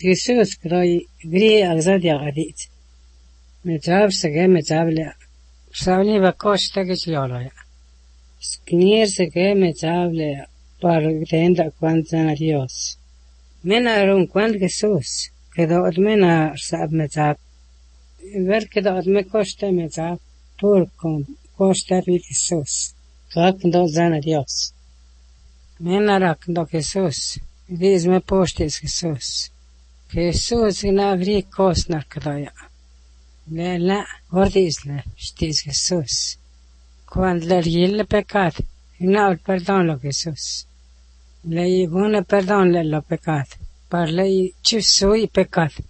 Jesús كراي غري أغزاد يغاديت متاب سجى متاب لا سامني بكوش تاجش لولا سكنير سجى متاب لا بارغتين دا كوانتنا ديوس من أرون كوانت Jesús كده أدمنا ساب متاب ver كده أدم كوشتا متاب بوركم كوشتا في Jesús كاكندو زانا ديوس من أراكندو Jesús ديز ما بوشتيس Jesús Jesús na vri kostnar kadaja. La, ordis la, stis Jesús. Cuando le riel pecado, no perdón lo Jesús. Le buena perdón le lo pecado. Para le chusui pecado.